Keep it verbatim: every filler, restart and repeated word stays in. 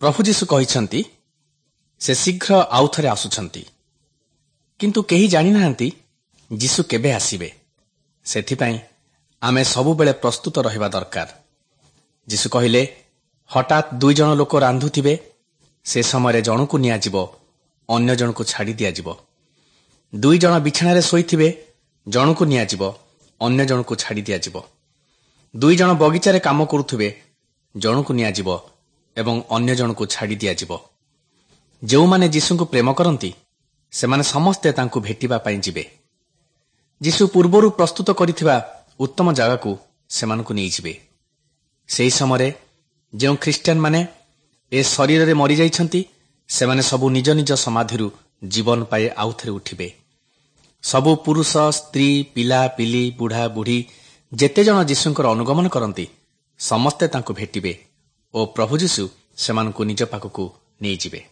ପ୍ରଭୁ ଯୀଶୁ କହିଛନ୍ତି, ସେ ଶୀଘ୍ର ଆଉଥରେ ଆସୁଛନ୍ତି। କିନ୍ତୁ କେହି ଜାଣିନାହାନ୍ତି ଯୀଶୁ କେବେ ଆସିବେ। ସେଥିପାଇଁ ଆମେ ସବୁବେଳେ ପ୍ରସ୍ତୁତ ରହିବା ଦରକାର। ଯୀଶୁ କହିଲେ, ହଠାତ୍ ଦୁଇ ଜଣ ଲୋକ ରାନ୍ଧୁଥିବେ, ସେ ସମୟରେ ଜଣକୁ ନିଆଯିବ, ଅନ୍ୟ ଜଣକୁ ଛାଡ଼ି ଦିଆଯିବ। ଦୁଇ ଜଣ ବିଛଣାରେ ଶୋଇଥିବେ, ଜଣକୁ ନିଆଯିବ, ଅନ୍ୟ ଜଣକୁ ଛାଡ଼ି ଦିଆଯିବ। ଦୁଇ ଜଣ ବଗିଚାରେ କାମ କରୁଥିବେ, ଜଣକୁ ନିଆଯିବ ଏବଂ ଅନ୍ୟ ଜଣକୁ ଛାଡ଼ି ଦିଆଯିବ। ଯେଉଁମାନେ ଯୀଶୁଙ୍କୁ ପ୍ରେମ କରନ୍ତି, ସେମାନେ ସମସ୍ତେ ତାଙ୍କୁ ଭେଟିବା ପାଇଁ ଯିବେ। ଯୀଶୁ ପୂର୍ବରୁ ପ୍ରସ୍ତୁତ କରିଥିବା ଉତ୍ତମ ଜାଗାକୁ ସେମାନଙ୍କୁ ନେଇଯିବେ। ସେହି ସମୟରେ ଯେଉଁ ଖ୍ରୀଷ୍ଟିଆନମାନେ ଏ ଶରୀରରେ ମରିଯାଇଛନ୍ତି, ସେମାନେ ସବୁ ନିଜ ନିଜ ସମାଧିରୁ ଜୀବନ ପାଇ ଆଉଥରେ ଉଠିବେ। ସବୁ ପୁରୁଷ, ସ୍ତ୍ରୀ, ପିଲା, ପିଲି, ବୁଢ଼ା, ବୁଢ଼ୀ, ଯେତେ ଜଣ ଯୀଶୁଙ୍କର ଅନୁଗମନ କରନ୍ତି, ସମସ୍ତେ ତାଙ୍କୁ ଭେଟିବେ ଓ ପ୍ରଭୁ ଯୀଶୁ ସେମାନଙ୍କୁ ନିଜ ପାଖକୁ ନେଇଯିବେ।